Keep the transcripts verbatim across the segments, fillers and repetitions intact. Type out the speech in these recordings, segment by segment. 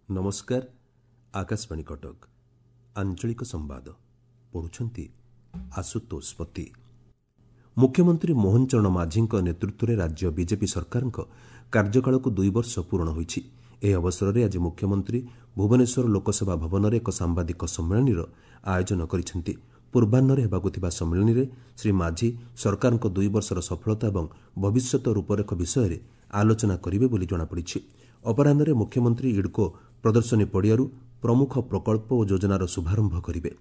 ନମସ୍କାର, ଆକାଶବାଣୀ କଟକ, ଆଞ୍ଚଳିକ ସମ୍ବାଦ ପଢ଼ୁଛନ୍ତି ଆଶୁତୋଷ ପତି। ମୁଖ୍ୟମନ୍ତ୍ରୀ ମୋହନ ଚରଣ ମାଝୀଙ୍କ ନେତୃତ୍ୱରେ ରାଜ୍ୟ ବିଜେପି ସରକାରଙ୍କ କାର୍ଯ୍ୟକାଳକୁ ଦୁଇ ବର୍ଷ ପୂରଣ ହୋଇଛି। ଏହି ଅବସରରେ ଆଜି ମୁଖ୍ୟମନ୍ତ୍ରୀ ଭୁବନେଶ୍ୱର ଲୋକସେବା ଭବନରେ ଏକ ସାମ୍ବାଦିକ ସମ୍ମିଳନୀର ଆୟୋଜନ କରିଛନ୍ତି। ପୂର୍ବାହ୍ନରେ ହେବାକୁ ଥିବା ସମ୍ମିଳନୀରେ ଶ୍ରୀ ମାଝୀ ସରକାରଙ୍କ ଦୁଇ ବର୍ଷର ସଫଳତା ଏବଂ ଭବିଷ୍ୟତ ରୂପରେଖ ବିଷୟରେ ଆଲୋଚନା କରିବେ ବୋଲି ଜଣାପଡ଼ିଛି। ଅପରାହ୍ନରେ ମୁଖ୍ୟମନ୍ତ୍ରୀ ଇଡ୍କୋ ପ୍ରଦର୍ଶନୀ ପଡ଼ିଆରୁ ପ୍ରମୁଖ ପ୍ରକଳ୍ପ ଓ ଯୋଜନାର ଶୁଭାରମ୍ଭ କରିବେ।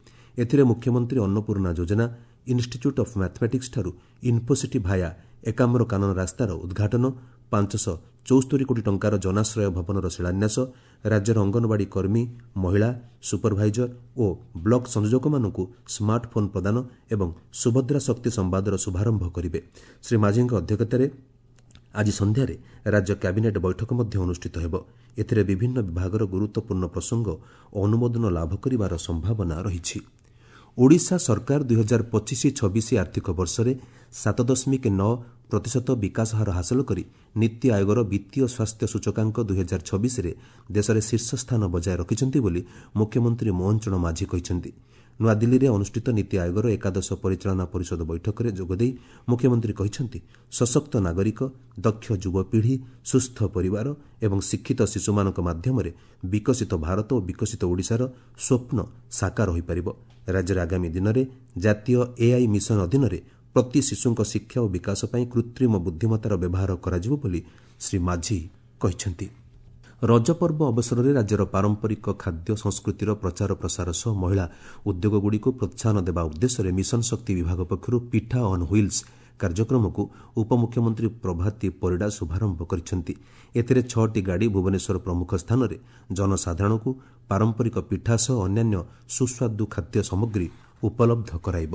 ଏଥିରେ ମୁଖ୍ୟମନ୍ତ୍ରୀ ଅନ୍ନପୂର୍ଣ୍ଣା ଯୋଜନା, ଇନ୍ଷ୍ଟିଚ୍ୟୁଟ୍ ଅଫ୍ ମ୍ୟାଥମେଟିକ୍ସଠାରୁ ଇନ୍ଫୋସିଟି ଭାୟା ଏକାମ୍ର କାନନ ରାସ୍ତାର ଉଦ୍ଘାଟନ, ପାଞ୍ଚଶହ ଚଉସ୍ତରୀ କୋଟି ଟଙ୍କାର ଜନାଶ୍ରୟ ଭବନର ଶିଳାନ୍ୟାସ, ରାଜ୍ୟର ଅଙ୍ଗନବାଡ଼ି କର୍ମୀ, ମହିଳା, ସୁପରଭାଇଜର ଓ ବ୍ଲକ ସଂଯୋଜକମାନଙ୍କୁ ସ୍ମାର୍ଟଫୋନ୍ ପ୍ରଦାନ ଏବଂ ସୁଭଦ୍ରା ଶକ୍ତି ସମ୍ବାଦର ଶୁଭାରମ୍ଭ କରିବେ। ଶ୍ରୀ ମାଝୀଙ୍କ ଅଧ୍ୟକ୍ଷତାରେ ଆଜି ସନ୍ଧ୍ୟାରେ ରାଜ୍ୟ କ୍ୟାବିନେଟ୍ ବୈଠକ ମଧ୍ୟ ଅନୁଷ୍ଠିତ ହେବ। ଏଥିରେ ବିଭିନ୍ନ ବିଭାଗର ଗୁରୁତ୍ୱପୂର୍ଣ୍ଣ ପ୍ରସଙ୍ଗ ଅନୁମୋଦନ ଲାଭ କରିବାର ସମ୍ଭାବନା ରହିଛି। ଓଡ଼ିଶା ସରକାର ଦୁଇହଜାର ପଚିଶ ଛବିଶ ଆର୍ଥିକ ବର୍ଷରେ ସାତ ଦଶମିକ ନଅ ପ୍ରତିଶତ ବିକାଶ ହାର ହାସଲ କରି ନୀତି ଆୟୋଗର ବିତ୍ତୀୟ ସ୍ୱାସ୍ଥ୍ୟ ସୂଚକାଙ୍କ ଦୁଇହଜାର ଛବିଶରେ ଦେଶରେ ଶୀର୍ଷ ସ୍ଥାନ ବଜାୟ ରଖିଛନ୍ତି ବୋଲି ମୁଖ୍ୟମନ୍ତ୍ରୀ ମୋହନ ଚରଣ ମାଝୀ କହିଛନ୍ତି। ନୂଆଦିଲ୍ଲୀରେ ଅନୁଷ୍ଠିତ ନୀତି ଆୟୋଗର ଏକାଦଶ ପରିଚାଳନା ପରିଷଦ ବୈଠକରେ ଯୋଗଦେଇ ମୁଖ୍ୟମନ୍ତ୍ରୀ କହିଛନ୍ତି, ସଶକ୍ତ ନାଗରିକ, ଦକ୍ଷ ଯୁବପିଢ଼ି, ସୁସ୍ଥ ପରିବାର ଏବଂ ଶିକ୍ଷିତ ଶିଶୁମାନଙ୍କ ମାଧ୍ୟମରେ ବିକଶିତ ଭାରତ ଓ ବିକଶିତ ଓଡ଼ିଶାର ସ୍ୱପ୍ନ ସାକାର ହୋଇପାରିବ। ରାଜ୍ୟରେ ଆଗାମୀ ଦିନରେ ଜାତୀୟ ଏଆଇ ମିଶନ ଅଧୀନରେ ପ୍ରତି ଶିଶୁଙ୍କ ଶିକ୍ଷା ଓ ବିକାଶ ପାଇଁ କୃତ୍ରିମ ବୁଦ୍ଧିମତ୍ତାର ବ୍ୟବହାର କରାଯିବ ବୋଲି ଶ୍ରୀ ମାଝୀ କହିଛନ୍ତି। ରଜପର୍ବ ଅବସରରେ ରାଜ୍ୟର ପାରମ୍ପରିକ ଖାଦ୍ୟ ସଂସ୍କୃତିର ପ୍ରଚାର ପ୍ରସାର ସହ ମହିଳା ଉଦ୍ୟୋଗଗୁଡ଼ିକୁ ପ୍ରୋତ୍ସାହନ ଦେବା ଉଦ୍ଦେଶ୍ୟରେ ମିଶନ ଶକ୍ତି ବିଭାଗ ପକ୍ଷରୁ ପିଠା ଅନ୍ ହ୍ୱିଲ୍ସ କାର୍ଯ୍ୟକ୍ରମକୁ ଉପମୁଖ୍ୟମନ୍ତ୍ରୀ ପ୍ରଭାତୀ ପରିଡ଼ା ଶୁଭାରମ୍ଭ କରିଛନ୍ତି। ଏଥିରେ ଛଅଟି ଗାଡ଼ି ଭୁବନେଶ୍ୱର ପ୍ରମୁଖ ସ୍ଥାନରେ ଜନସାଧାରଣଙ୍କୁ ପାରମ୍ପରିକ ପିଠା ସହ ଅନ୍ୟାନ୍ୟ ସୁସ୍ୱାଦୁ ଖାଦ୍ୟ ସାମଗ୍ରୀ ଉପଲବ୍ଧ କରାଇବ।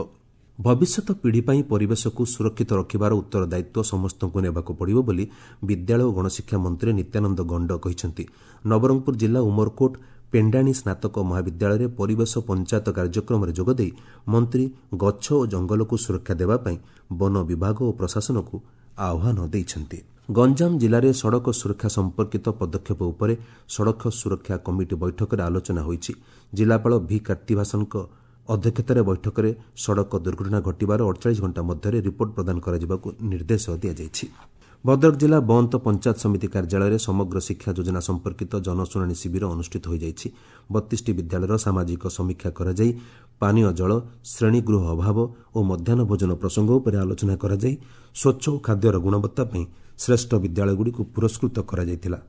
ଭବିଷ୍ୟତ ପିଢ଼ି ପାଇଁ ପରିବେଶକୁ ସୁରକ୍ଷିତ ରଖିବାର ଉତ୍ତରଦାୟିତ୍ୱ ସମସ୍ତଙ୍କୁ ନେବାକୁ ପଡ଼ିବ ବୋଲି ବିଦ୍ୟାଳୟ ଓ ଗଣଶିକ୍ଷା ମନ୍ତ୍ରୀ ନିତ୍ୟାନନ୍ଦ ଗଣ୍ଡ କହିଛନ୍ତି। ନବରଙ୍ଗପୁର ଜିଲ୍ଲା ଉମରକୋଟ ପେଣ୍ଡାଣୀ ସ୍ନାତକ ମହାବିଦ୍ୟାଳୟରେ ପରିବେଶ ପଞ୍ଚାୟତ କାର୍ଯ୍ୟକ୍ରମରେ ଯୋଗଦେଇ ମନ୍ତ୍ରୀ ଗଛ ଓ ଜଙ୍ଗଲକୁ ସୁରକ୍ଷା ଦେବା ପାଇଁ ବନ ବିଭାଗ ଓ ପ୍ରଶାସନକୁ ଆହ୍ୱାନ ଦେଇଛନ୍ତି। ଗଞ୍ଜାମ ଜିଲ୍ଲାରେ ସଡ଼କ ସୁରକ୍ଷା ସମ୍ପର୍କିତ ପଦକ୍ଷେପ ଉପରେ ସଡ଼କ ସୁରକ୍ଷା କମିଟି ବୈଠକରେ ଆଲୋଚନା ହୋଇଛି। ଜିଲ୍ଲାପାଳ ଭି କାର୍ତ୍ତିଭାସନଙ୍କ ଅଧ୍ୟକ୍ଷତାରେ ବୈଠକରେ ସଡ଼କ ଦୁର୍ଘଟଣା ଘଟିବାର ଅଡ଼ଚାଳିଶ ଘଣ୍ଟା ମଧ୍ୟରେ ରିପୋର୍ଟ ପ୍ରଦାନ କରାଯିବାକୁ ନିର୍ଦ୍ଦେଶ ଦିଆଯାଇଛି। ଭଦ୍ରକ ଜିଲ୍ଲା ବନ୍ତ ପଞ୍ଚାୟତ ସମିତି କାର୍ଯ୍ୟାଳୟରେ ସମଗ୍ର ଶିକ୍ଷା ଯୋଜନା ସମ୍ପର୍କିତ ଜନଶୁଣାଣି ଶିବିର ଅନୁଷ୍ଠିତ ହୋଇଯାଇଛି। ବତିଶଟି ବିଦ୍ୟାଳୟର ସାମାଜିକ ସମୀକ୍ଷା କରାଯାଇ ପାନୀୟ ଜଳ, ଶ୍ରେଣୀଗୃହ ଅଭାବ ଓ ମଧ୍ୟାହ୍ନ ଭୋଜନ ପ୍ରସଙ୍ଗ ଉପରେ ଆଲୋଚନା କରାଯାଇ ସ୍ୱଚ୍ଛ ଓ ଖାଦ୍ୟର ଗୁଣବତ୍ତା ପାଇଁ ଶ୍ରେଷ୍ଠ ବିଦ୍ୟାଳୟଗୁଡ଼ିକୁ ପୁରସ୍କୃତ କରାଯାଇଥିଲା।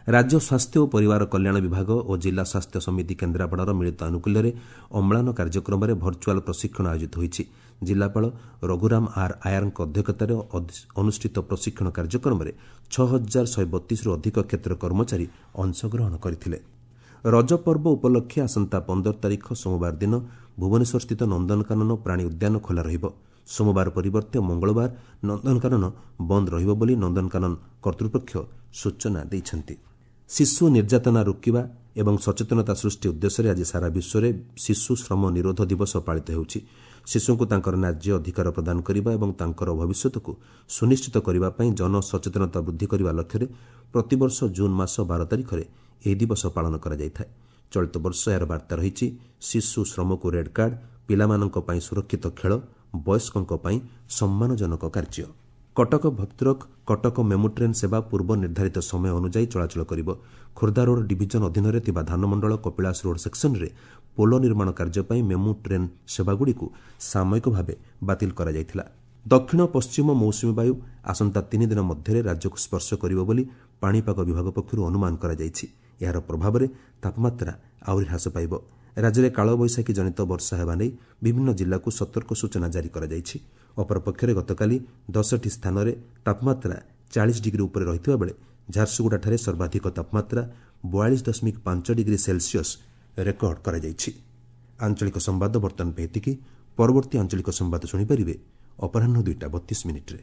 ରାଜ୍ୟ ସ୍ୱାସ୍ଥ୍ୟ ଓ ପରିବାର କଲ୍ୟାଣ ବିଭାଗ ଓ ଜିଲ୍ଲା ସ୍ୱାସ୍ଥ୍ୟ ସମିତି କେନ୍ଦ୍ରାପଡ଼ାର ମିଳିତ ଆନୁକୂଲ୍ୟରେ ଅମ୍ଳାନ କାର୍ଯ୍ୟକ୍ରମରେ ଭର୍ଚୁଆଲ୍ ପ୍ରଶିକ୍ଷଣ ଆୟୋଜିତ ହୋଇଛି। ଜିଲ୍ଲାପାଳ ରଘୁରାମ ଆର୍ ଆୟାରଙ୍କ ଅଧ୍ୟକ୍ଷତାରେ ଅନୁଷ୍ଠିତ ପ୍ରଶିକ୍ଷଣ କାର୍ଯ୍ୟକ୍ରମରେ ଛଅ ହଜାର ଶହେ ବତିଶରୁ ଅଧିକ କ୍ଷେତ୍ର କର୍ମଚାରୀ ଅଂଶଗ୍ରହଣ କରିଥିଲେ। ରଜପର୍ବ ଉପଲକ୍ଷେ ଆସନ୍ତା ପନ୍ଦର ତାରିଖ ସୋମବାର ଦିନ ଭୁବନେଶ୍ୱରସ୍ଥିତ ନନ୍ଦନକାନନ ପ୍ରାଣୀ ଉଦ୍ୟାନ ଖୋଲା ରହିବ। ସୋମବାର ପରିବର୍ତ୍ତେ ମଙ୍ଗଳବାର ନନ୍ଦନକାନନ ବନ୍ଦ ରହିବ ବୋଲି ନନ୍ଦନକାନନ କର୍ତ୍ତୃପକ୍ଷ ସୂଚନା ଦେଇଛନ୍ତି। ଶିଶୁ ନିର୍ଯାତନା ରୋକିବା ଏବଂ ସଚେତନତା ସୃଷ୍ଟି ଉଦ୍ଦେଶ୍ୟରେ ଆଜି ସାରା ବିଶ୍ୱରେ ଶିଶୁ ଶ୍ରମ ନିରୋଧ ଦିବସ ପାଳିତ ହେଉଛି। ଶିଶୁଙ୍କୁ ତାଙ୍କର ନ୍ୟାଯ୍ୟ ଅଧିକାର ପ୍ରଦାନ କରିବା ଏବଂ ତାଙ୍କର ଭବିଷ୍ୟତକୁ ସୁନିଶ୍ଚିତ କରିବା ପାଇଁ ଜନସଚେତନତା ବୃଦ୍ଧି କରିବା ଲକ୍ଷ୍ୟରେ ପ୍ରତିବର୍ଷ ଜୁନ୍ ମାସ ବାର ତାରିଖରେ ଏହି ଦିବସ ପାଳନ କରାଯାଇଥାଏ। ଚଳିତ ବର୍ଷ ଏହାର ବାର୍ତ୍ତା ରହିଛି ଶିଶୁ ଶ୍ରମକୁ ରେଡ୍ କାର୍ଡ, ପିଲାମାନଙ୍କ ପାଇଁ ସୁରକ୍ଷିତ ଖେଳ, ବୟସ୍କଙ୍କ ପାଇଁ ସମ୍ମାନଜନକ କାର୍ଯ୍ୟ। କଟକ ଭଦ୍ରକ କଟକ ମେମୁ ଟ୍ରେନ୍ ସେବା ପୂର୍ବ ନିର୍ଦ୍ଧାରିତ ସମୟ ଅନୁଯାୟୀ ଚଳାଚଳ କରିବ। ଖୋର୍ଦ୍ଧା ରୋଡ୍ ଡିଭିଜନ ଅଧୀନରେ ଥିବା ଧାନମଣ୍ଡଳ କପିଳାସ ରୋଡ୍ ସେକ୍ସନରେ ପୋଲ ନିର୍ମାଣ କାର୍ଯ୍ୟ ପାଇଁ ମେମୁ ଟ୍ରେନ୍ ସେବାଗୁଡ଼ିକୁ ସାମୟିକ ଭାବେ ବାତିଲ କରାଯାଇଥିଲା। ଦକ୍ଷିଣ ପଶ୍ଚିମ ମୌସୁମୀ ବାୟୁ ଆସନ୍ତା ତିନି ଦିନ ମଧ୍ୟରେ ରାଜ୍ୟକୁ ସ୍ପର୍ଶ କରିବ ବୋଲି ପାଣିପାଗ ବିଭାଗ ପକ୍ଷରୁ ଅନୁମାନ କରାଯାଇଛି। ଏହାର ପ୍ରଭାବରେ ତାପମାତ୍ରା ଆହୁରି ହ୍ରାସ ପାଇବ। ରାଜ୍ୟରେ କାଳବୈଶାଖୀ ଜନିତ ବର୍ଷା ହେବା ନେଇ ବିଭିନ୍ନ ଜିଲ୍ଲାକୁ ସତର୍କ ସୂଚନା ଜାରି କରାଯାଇଛି। ଅପରପକ୍ଷରେ ଗତକାଲି ଦଶଟି ସ୍ଥାନରେ ତାପମାତ୍ରା ଚାଳିଶ ଡିଗ୍ରୀ ଉପରେ ରହିଥିବା ବେଳେ ଝାରସୁଗୁଡ଼ାଠାରେ ସର୍ବାଧିକ ତାପମାତ୍ରା ବୟାଳିଶ ଦଶମିକ ପାଞ୍ଚ ଡିଗ୍ରୀ ସେଲସିୟସ୍ ରେକର୍ଡ କରାଯାଇଛି। ଆଞ୍ଚଳିକ ସମ୍ବାଦ ବର୍ତ୍ତମାନ ପାଇଁ ଏତିକି। ପରବର୍ତ୍ତୀ ଆଞ୍ଚଳିକ ସମ୍ବାଦ ଶୁଣିପାରିବେ ଅପରାହ୍ନ ଦୁଇଟା ବତିଶ ମିନିଟ୍ରେ।